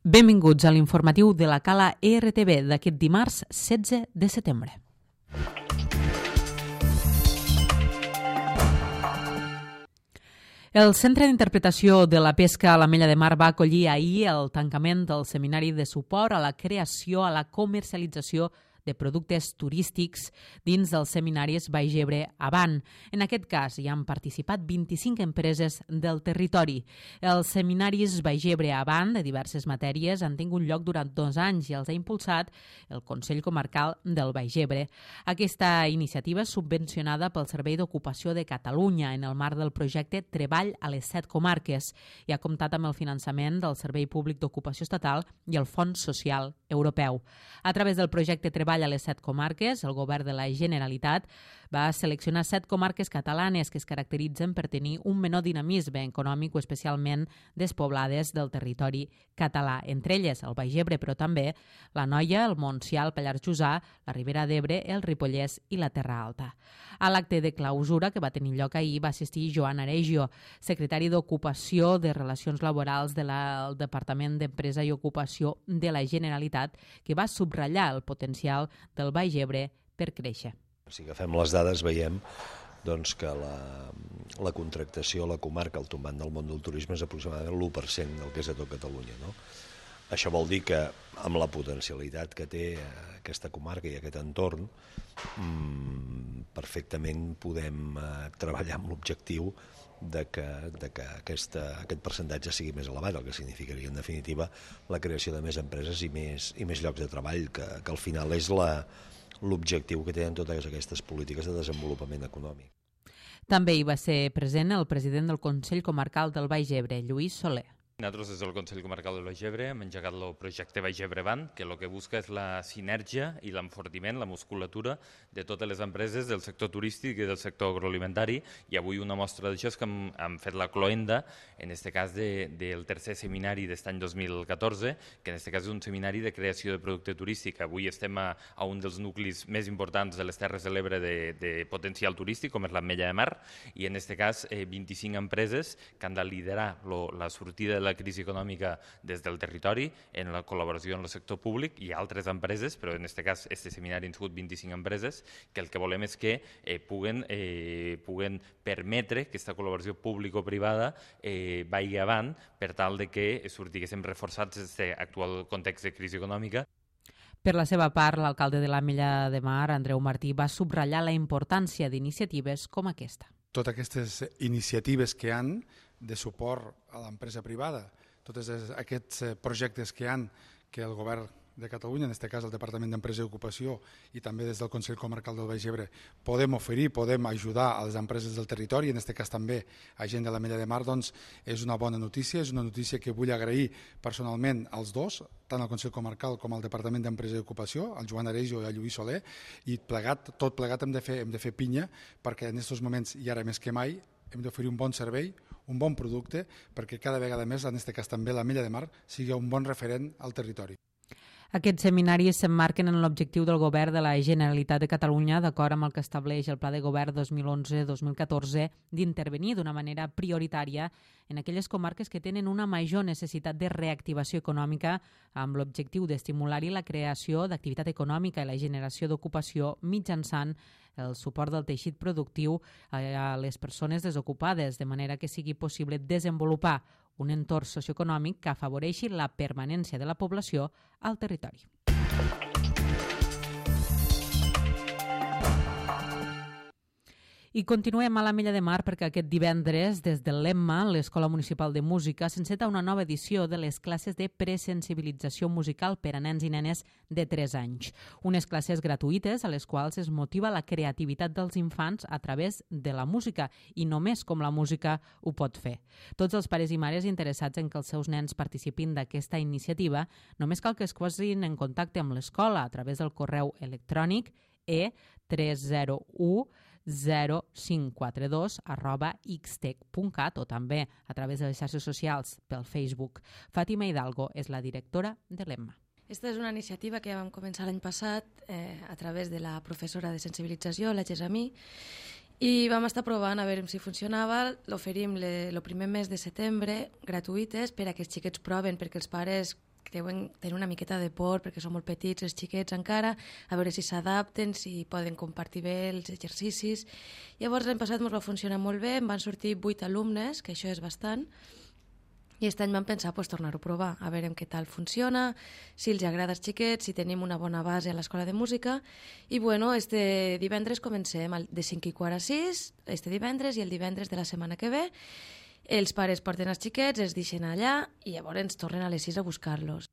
Benvinguts a l'informatiu de la Cala ERTB d'aquest dimarts 16 de setembre. El Centre d'Interpretació de la Pesca a l'Ametlla de Mar va acollir ahir el tancament del seminari de suport a la creació, a la comercialització de productes turístics dins dels seminaris Baix Ebre Avant. En aquest cas hi han participat 25 empreses del territori. Els seminaris Baix Ebre Avant de diverses matèries han tingut lloc durant 2 anys i els ha impulsat el Consell Comarcal del Baix Ebre. Aquesta iniciativa és subvencionada pel Servei d'Ocupació de Catalunya en el marc del projecte Treball a les 7 comarques i ha comptat amb el finançament del Servei Públic d'Ocupació Estatal i el Fons Social Europeu. A través del projecte Treball a les 7 comarques, el govern de la Generalitat va seleccionar 7 comarques catalanes que es caracteritzen per tenir un menor dinamisme econòmic o especialment despoblades del territori català. Entre elles el Baix Ebre, però també la Noia, el Montsià, el Pallars Jussà, la Ribera d'Ebre, el Ripollès i la Terra Alta. A l'acte de clausura que va tenir lloc ahir va assistir Joan Aregio, secretari d'Ocupació de Relacions Laborals del Departament d'Empresa i Ocupació de la Generalitat, que va subratllar el potencial del Baix Ebre per créixer. Si agafem les dades veiem que la contractació a la comarca, el tombant del món del turisme, és aproximadament l'1% del que és a tot Catalunya. Això vol dir que amb la potencialitat que té aquesta comarca i aquest entorn, perfectament podem treballar amb l'objectiu de que aquest percentatge sigui més elevat, el que significaria en definitiva la creació de més empreses i més llocs de treball, que al final és l'objectiu que tenen totes aquestes polítiques de desenvolupament econòmic. També hi va ser present el president del Consell Comarcal del Baix Ebre, Lluís Soler. Nosaltres des del Consell Comarcal del Baix Ebre hem engegat el projecte Baix Ebre Avant, que el que busca és la sinergia i l'enfortiment, la musculatura de totes les empreses del sector turístic i del sector agroalimentari, i avui una mostra d'això és que hem fet la cloenda, en aquest cas del tercer seminari d'aquest any 2014, que en aquest cas és un seminari de creació de producte turístic. Avui estem a un dels nuclis més importants de les Terres de l'Ebre de potencial turístic, com és l'Ametlla de Mar, i en aquest cas 25 empreses que han de liderar la sortida de la crisi econòmica des del territori en la col·laboració amb el sector públic i altres empreses, però en aquest cas este seminari han sigut 25 empreses, que el que volem és que puguen permetre que aquesta col·laboració público-privada vagi avant per tal de que sortiguéssim reforçats d'aquest actual context de crisi econòmica. Per la seva part, l'alcalde de l'Ametlla de Mar, Andreu Martí, va subratllar la importància d'iniciatives com aquesta. Totes aquestes iniciatives que hi ha de suport a l'empresa privada, tots aquests projectes que hi ha que el govern de Catalunya, en aquest cas el Departament d'Empresa i Ocupació i també des del Consell Comarcal del Baix Ebre, podem oferir, podem ajudar a les empreses del territori, en aquest cas també a gent de l'Ametlla de Mar, doncs és una bona notícia, és una notícia que vull agrair personalment als dos, tant al Consell Comarcal com al Departament d'Empresa i Ocupació, al Joan Aregio i al Lluís Soler, i tot plegat hem de fer pinya perquè en aquests moments, i ara més que mai, hem d'oferir un bon servei, un bon producte, perquè cada vegada més, en aquest cas també l'Ametlla de Mar, sigui un bon referent al territori. Aquests seminaris s'emmarquen en l'objectiu del Govern de la Generalitat de Catalunya, d'acord amb el que estableix el Pla de Govern 2011-2014, d'intervenir d'una manera prioritària en aquelles comarques que tenen una major necessitat de reactivació econòmica amb l'objectiu d'estimular-hi la creació d'activitat econòmica i la generació d'ocupació mitjançant el suport del teixit productiu a les persones desocupades, de manera que sigui possible desenvolupar un entorn socioeconòmic que afavoreixi la permanència de la població al territori. I continuem a l'Ametlla de Mar perquè aquest divendres, des del l'EMMA, l'Escola Municipal de Música, s'enceta una nova edició de les classes de presensibilització musical per a nens i nenes de 3 anys. Unes classes gratuïtes a les quals es motiva la creativitat dels infants a través de la música i només com la música ho pot fer. Tots els pares i mares interessats en que els seus nens participin d'aquesta iniciativa només cal que es posin en contacte amb l'escola a través del correu electrònic e3010542@xtec.cat o també a través de les xarxes socials pel Facebook. Fàtima Hidalgo és la directora de l'EMMA. Aquesta és una iniciativa que ja vam començar l'any passat a través de la professora de sensibilització, la Gesamí, i vam estar provant a veure si funcionava. L'oferim el primer mes de setembre, gratuïtes, per a que els xiquets proven, perquè els pares deuen tenir una miqueta de por perquè són molt petits, els xiquets encara, a veure si s'adapten, si poden compartir bé els exercicis. Llavors l'any passat ens va funcionar molt bé, em van sortir 8 alumnes, que això és bastant, i aquest any vam pensar tornar-ho a provar, a veure què tal funciona, si els agrada als xiquets, si tenim una bona base a l'escola de música. I bueno, este divendres comencem de 5:15, este divendres, i el divendres de la setmana que ve els pares porten els xiquets, els deixen allà i llavors ens tornen a les 6 a buscar-los.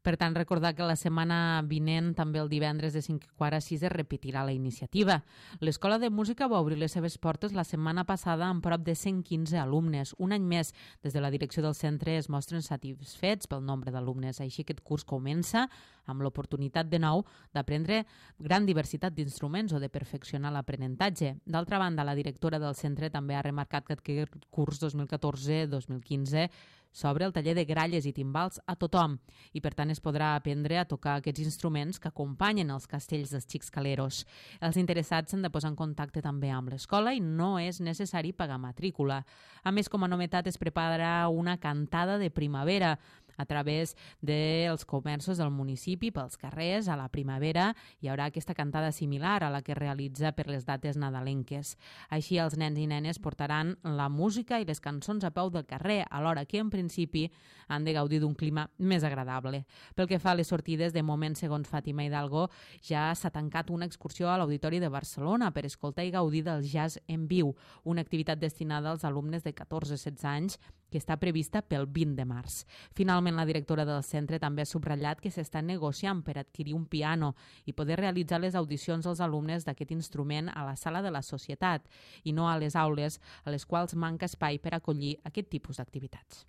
Per tant, recordar que la setmana vinent, també el divendres de 5:15, es repetirà la iniciativa. L'Escola de Música va obrir les seves portes la setmana passada amb prop de 115 alumnes. Un any més, des de la direcció del centre es mostren satisfets pel nombre d'alumnes. Així aquest curs comença amb l'oportunitat de nou d'aprendre gran diversitat d'instruments o de perfeccionar l'aprenentatge. D'altra banda, la directora del centre també ha remarcat que aquest curs 2014-2015 s'obre el taller de gralles i timbals a tothom i, per tant, es podrà aprendre a tocar aquests instruments que acompanyen els castells dels xics caleros. Els interessats s'han de posar en contacte també amb l'escola i no és necessari pagar matrícula. A més, com a novetat, es prepara una cantada de primavera a través dels comerços del municipi, pels carrers, a la primavera. Hi haurà aquesta cantada similar a la que realitza per les dates nadalenques. Així, els nens i nenes portaran la música i les cançons a peu del carrer, alhora que, en principi, han de gaudir d'un clima més agradable. Pel que fa a les sortides, de moment, segons Fàtima Hidalgo, ja s'ha tancat una excursió a l'Auditori de Barcelona per escoltar i gaudir del jazz en viu, una activitat destinada als alumnes de 14-16 anys que està prevista pel 20 de març. Finalment, la directora del centre també ha subratllat que s'està negociant per adquirir un piano i poder realitzar les audicions als alumnes d'aquest instrument a la sala de la societat i no a les aules, a les quals manca espai per acollir aquest tipus d'activitats.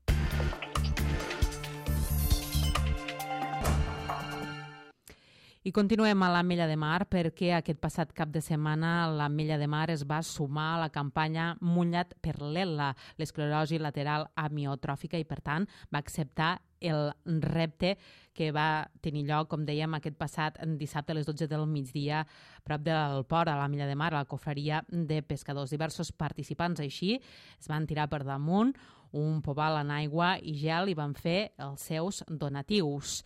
I continuem a l'Ametlla de Mar perquè aquest passat cap de setmana l'Ametlla de Mar es va sumar a la campanya Mullat per l'ELA, l'esclerosi lateral amiotròfica, i per tant va acceptar el repte que va tenir lloc, com dèiem, aquest passat dissabte a les 12 del migdia prop del port a l'Ametlla de Mar, a la cofreria de pescadors. Diversos participants així es van tirar per damunt un pobal en aigua i gel i van fer els seus donatius.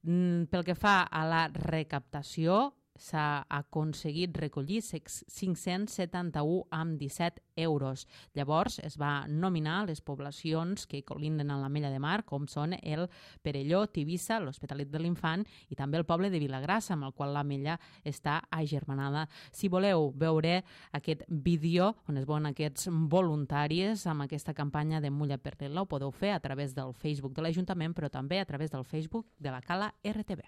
Pel que fa a la recaptació, s'ha aconseguit recollir 571,17 euros. Llavors es va nominar les poblacions que colinden en l'Ametlla de Mar, com són el Perelló, Tivissa, l'Hospitalet de l'Infant i també el poble de Vilagrassa, amb el qual l'Ametlla està agermanada. Si voleu veure aquest vídeo on es veuen aquests voluntaris amb aquesta campanya de Mulla per l'ELA, ho podeu fer a través del Facebook de l'Ajuntament, però també a través del Facebook de la Cala RTV.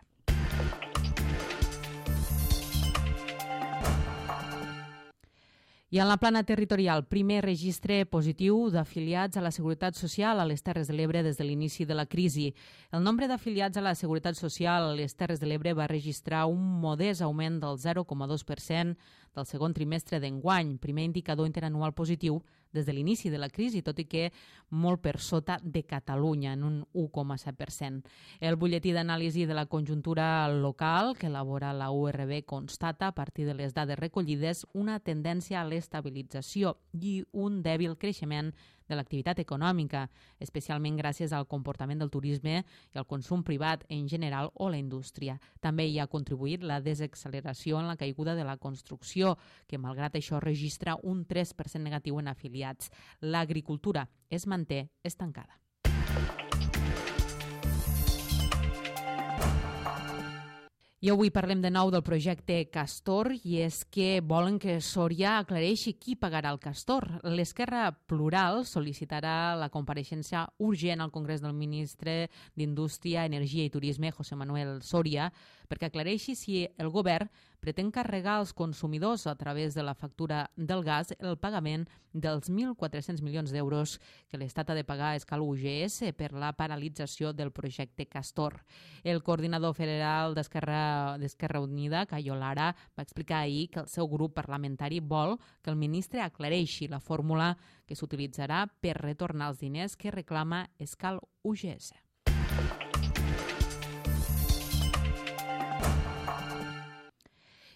I en la plana territorial, primer registre positiu d'afiliats a la Seguretat Social a les Terres de l'Ebre des de l'inici de la crisi. El nombre d'afiliats a la Seguretat Social a les Terres de l'Ebre va registrar un modest augment del 0,2% del segon trimestre d'enguany, primer indicador interanual positiu des de l'inici de la crisi, tot i que molt per sota de Catalunya, en un 1,7%. El butlletí d'anàlisi de la conjuntura local que elabora la URB constata, a partir de les dades recollides, una tendència a l'estabilització i un dèbil creixement de l'activitat econòmica, especialment gràcies al comportament del turisme i al consum privat en general o la indústria. També hi ha contribuït la desacceleració en la caiguda de la construcció, que malgrat això registra un 3% negatiu en afiliats. L'agricultura es manté estancada. I avui parlem de nou del projecte Castor i és que volen que Sòria aclareixi qui pagarà el Castor. L'Esquerra Plural sol·licitarà la compareixença urgent al Congrés del ministre d'Indústria, Energia i Turisme, José Manuel Soria, perquè aclareixi si el govern pretén carregar als consumidors a través de la factura del gas el pagament dels 1.400 milions d'euros que l'Estat ha de pagar a escala UGS per la paralització del projecte Castor. El coordinador federal d'Esquerra Unida, Cayo Lara, va explicar ahir que el seu grup parlamentari vol que el ministre aclareixi la fórmula que s'utilitzarà per retornar els diners que reclama Escal UGS.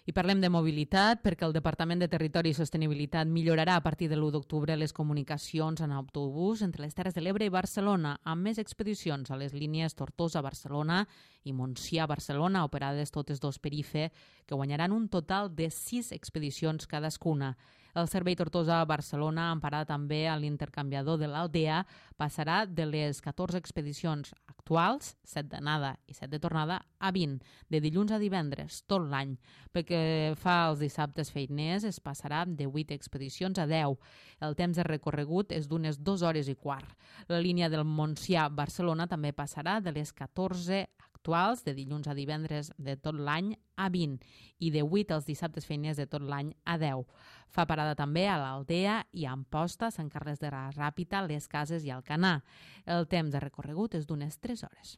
I parlem de mobilitat perquè el Departament de Territori i Sostenibilitat millorarà a partir de l'1 d'octubre les comunicacions en autobús entre les Terres de l'Ebre i Barcelona, amb més expedicions a les línies Tortosa-Barcelona i Montsià-Barcelona, operades totes dos per IFE, que guanyaran un total de 6 expedicions cadascuna. El servei Tortosa-Barcelona, amb parada també a l'intercanviador de l'Aldea, passarà de les 14 expedicions actuals, 7 d'anada i 7 de tornada, a 20, de dilluns a divendres, tot l'any. Pel que fa als dissabtes feiners, es passarà de 8 expedicions a 10. El temps de recorregut és d'unes 2 hores i quart. La línia del Montsià-Barcelona també passarà de les 14 actuals, de dilluns a divendres de tot l'any, a 20, i de 8 als dissabtes feiners de tot l'any a 10. Fa parada també a l'Aldea i a Amposta, Sant Carles de la Ràpita, Les Cases i Alcanar. El temps de recorregut és d'unes 3 hores.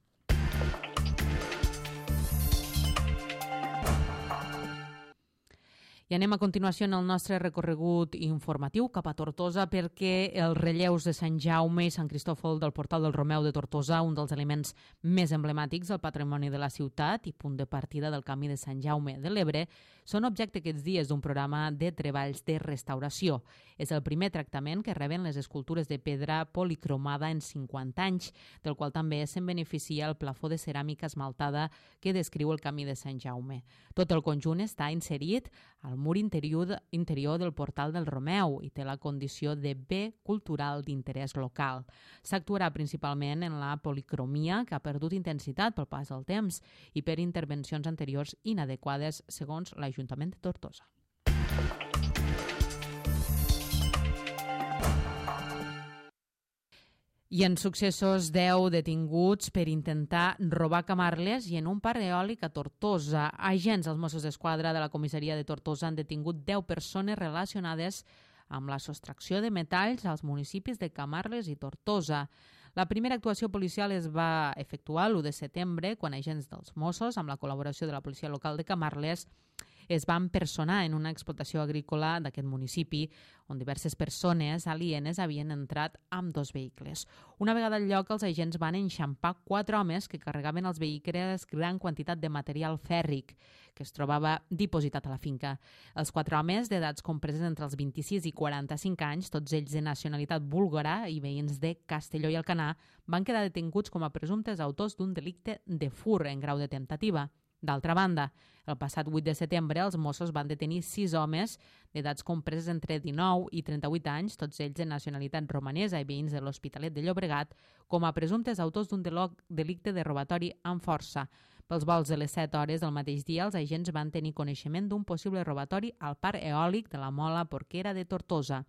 I anem a continuació en el nostre recorregut informatiu cap a Tortosa perquè els relleus de Sant Jaume i Sant Cristòfol del Portal del Romeu de Tortosa, un dels elements més emblemàtics del patrimoni de la ciutat i punt de partida del camí de Sant Jaume de l'Ebre, són objecte aquests dies d'un programa de treballs de restauració. És el primer tractament que reben les escultures de pedra policromada en 50 anys, del qual també se'n beneficia el plafó de ceràmica esmaltada que descriu el camí de Sant Jaume. Tot el conjunt està inserit al mur interior del Portal del Romeu i té la condició de bé cultural d'interès local. S'actuarà principalment en la policromia, que ha perdut intensitat pel pas del temps i per intervencions anteriors inadequades, segons l'Ajuntament de Tortosa. I en successos, 10 detinguts per intentar robar camarles i en un parc eòlic a Tortosa. Agents dels Mossos d'Esquadra de la comissaria de Tortosa han detingut 10 persones relacionades amb la sostracció de metalls als municipis de Camarles i Tortosa. La primera actuació policial es va efectuar l'1 de setembre, quan agents dels Mossos, amb la col·laboració de la policia local de Camarles, es van personar en una explotació agrícola d'aquest municipi, on diverses persones alienes havien entrat amb 2 vehicles. Una vegada al lloc, els agents van enxampar 4 homes que carregaven als vehicles gran quantitat de material fèrric que es trobava dipositat a la finca. Els 4 homes, d'edats compreses entre els 26 i 45 anys, tots ells de nacionalitat búlgara i veïns de Castelló i Alcanar, van quedar detinguts com a presumptes autors d'un delicte de fur en grau de temptativa. D'altra banda, el passat 8 de setembre els Mossos van detenir 6 homes d'edats compreses entre 19 i 38 anys, tots ells de nacionalitat romanesa i veïns de l'Hospitalet de Llobregat, com a presumptes autors d'un delicte de robatori amb força. Pels vols de les 7 hores del mateix dia, els agents van tenir coneixement d'un possible robatori al parc eòlic de la Mola Porquera de Tortosa.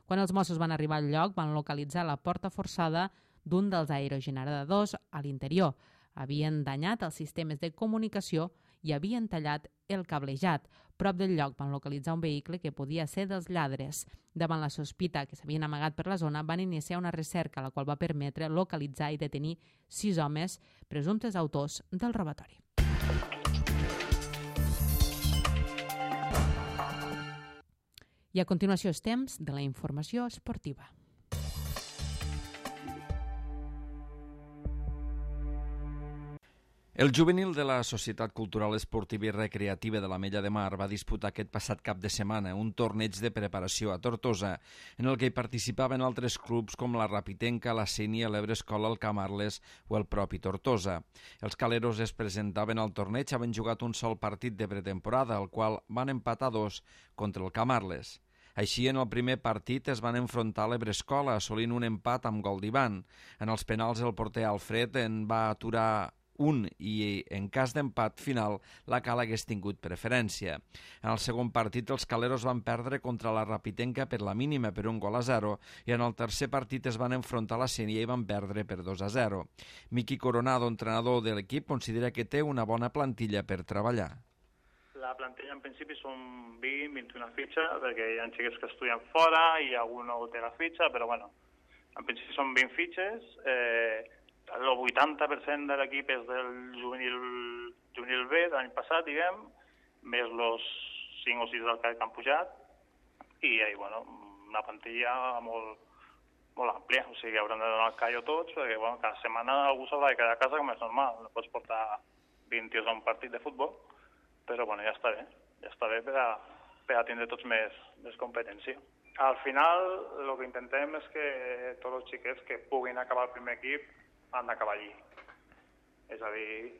Quan els Mossos van arribar al lloc, van localitzar la porta forçada d'un dels aerogeneradors a l'interior. Havien danyat els sistemes de comunicació i havien tallat el cablejat. Prop del lloc van localitzar un vehicle que podia ser dels lladres. Davant la sospita que s'havien amagat per la zona, van iniciar una recerca, la qual va permetre localitzar i detenir 6 homes presumptes autors del robatori. I a continuació és temps de la informació esportiva. El juvenil de la Societat Cultural Esportiva i Recreativa de l'Ametlla de Mar va disputar aquest passat cap de setmana un torneig de preparació a Tortosa, en el que hi participaven altres clubs com la Rapitenca, la Sénia, l'Ebrescola, el Camarles o el propi Tortosa. Els caleros es presentaven al torneig havent jugat un sol partit de pretemporada, el qual van empatar 2 contra el Camarles. Així, en el primer partit es van enfrontar a l'Ebrescola, assolint un empat amb gol d'Ivan. En els penals, el porter Alfred en va aturar un i, en cas d'empat final, la Cala hagués tingut preferència. En el segon partit, els caleros van perdre contra la Rapitenca per la mínima per 1-0 i en el tercer partit es van enfrontar a la Sénia i van perdre per 2-0. Miqui Coronado, entrenador de l'equip, considera que té una bona plantilla per treballar. La plantilla en principi són 20-21 fitxes, perquè hi ha xiquets que estudien fora i algú no té la fitxa, però bueno, en principi són 20 fitxes. El 80% de l'equip és del juvenil B de l'any passat, diguem, més els 5 o 6 del que han pujat, i bueno, una plantilla molt àmplia, o sigui, hauran de donar el callo tots, perquè bueno, cada setmana algú s'haurà de quedar a casa, com és normal, no pots portar 20 tios a un partit de futbol, però bueno, ja està bé. ja està bé per a tindre tots més competència. Al final, el que intentem és que tots els xiquets que puguin acabar el primer equip han d'acabar allí. És a dir,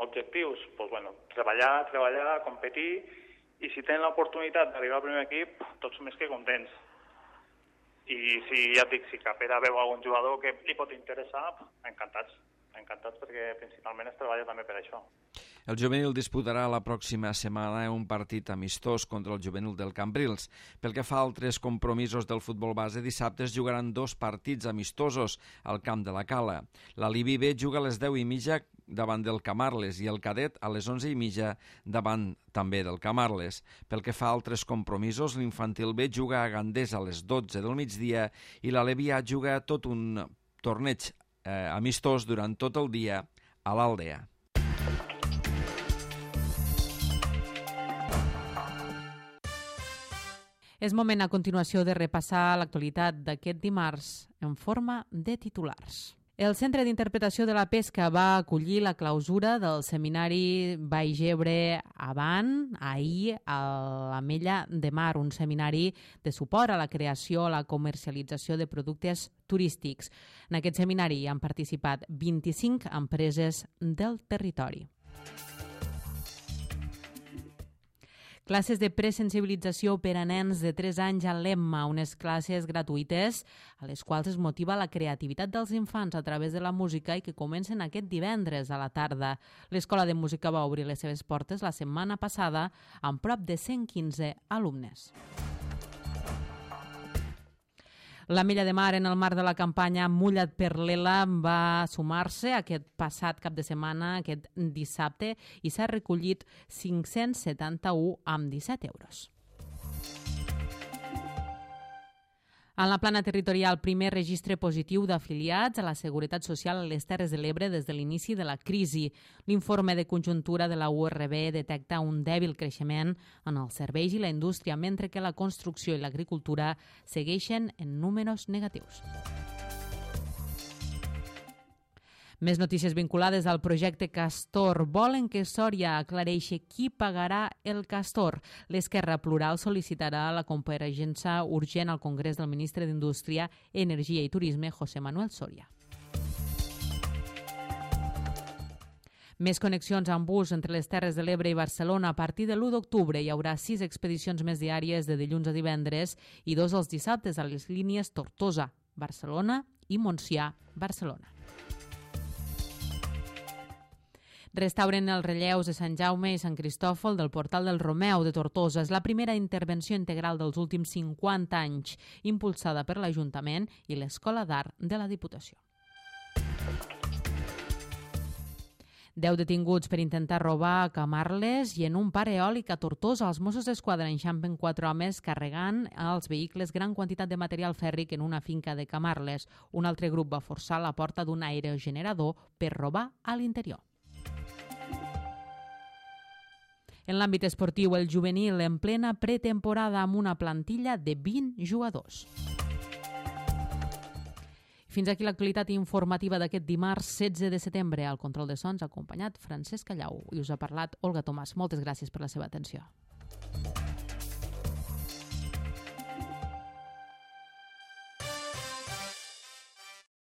objectius, treballar, competir, i si tenen l'oportunitat d'arribar al primer equip, tots més que contents. I si ja et dic, si Capera veu algun jugador que li pot interessar, encantats perquè principalment es treballa també per això. El juvenil disputarà la pròxima setmana un partit amistós contra el juvenil del Cambrils. Pel que fa a altres compromisos del futbol base, dissabte es jugaran 2 partits amistosos al camp de la Cala. La Libi B juga a les 10:30 davant del Camarles i el Cadet a les 11:30 davant també del Camarles. Pel que fa a altres compromisos, l'Infantil B juga a Gandés a les 12 del migdia i la Levià juga tot un torneig amistós durant tot el dia a l'Aldea. És moment a continuació de repassar l'actualitat d'aquest dimarts en forma de titulars. El Centre d'Interpretació de la Pesca va acollir la clausura del seminari Baix Ebre Avant ahir a l'Ametlla de Mar, un seminari de suport a la creació, a la comercialització de productes turístics. En aquest seminari han participat 25 empreses del territori. Classes de presensibilització per a nens de 3 anys a l'EMMA, unes classes gratuïtes a les quals es motiva la creativitat dels infants a través de la música i que comencen aquest divendres a la tarda. L'Escola de Música va obrir les seves portes la setmana passada amb prop de 115 alumnes. L'Ametlla de Mar, en el marc de la campanya Mulla't per l'Ela, va sumar-se aquest passat cap de setmana, aquest dissabte, i s'ha recollit 571 amb 17 euros. En la plana territorial, primer registre positiu d'afiliats a la Seguretat Social a les Terres de l'Ebre des de l'inici de la crisi. L'informe de conjuntura de la URB detecta un dèbil creixement en els serveis i la indústria, mentre que la construcció i l'agricultura segueixen en números negatius. Més notícies vinculades al projecte Castor. Volen que Sòria aclareixi qui pagarà el Castor. L'Esquerra Plural sol·licitarà la compareixença urgent al Congrés del ministre d'Indústria, Energia i Turisme, José Manuel Soria. Més connexions amb bus entre les Terres de l'Ebre i Barcelona. A partir de l'1 d'octubre hi haurà 6 expedicions més diàries de dilluns a divendres i 2 els dissabtes a les línies Tortosa, Barcelona i Montsià, Barcelona. Restauren els relleus de Sant Jaume i Sant Cristòfol del Portal del Romeu de Tortosa. És la primera intervenció integral dels últims 50 anys, impulsada per l'Ajuntament i l'Escola d'Art de la Diputació. 10 detinguts per intentar robar a Camarles i en un parc eòlic a Tortosa. Els Mossos d'Esquadra enxampen 4 homes carregant als vehicles gran quantitat de material fèrric en una finca de Camarles. Un altre grup va forçar la porta d'un aerogenerador per robar a l'interior. En l'àmbit esportiu, el juvenil en plena pretemporada amb una plantilla de 20 jugadors. Fins aquí l'actualitat informativa d'aquest dimarts 16 de setembre. Al control de sons ha acompanyat Francesc Callau i us ha parlat Olga Tomàs. Moltes gràcies per la seva atenció.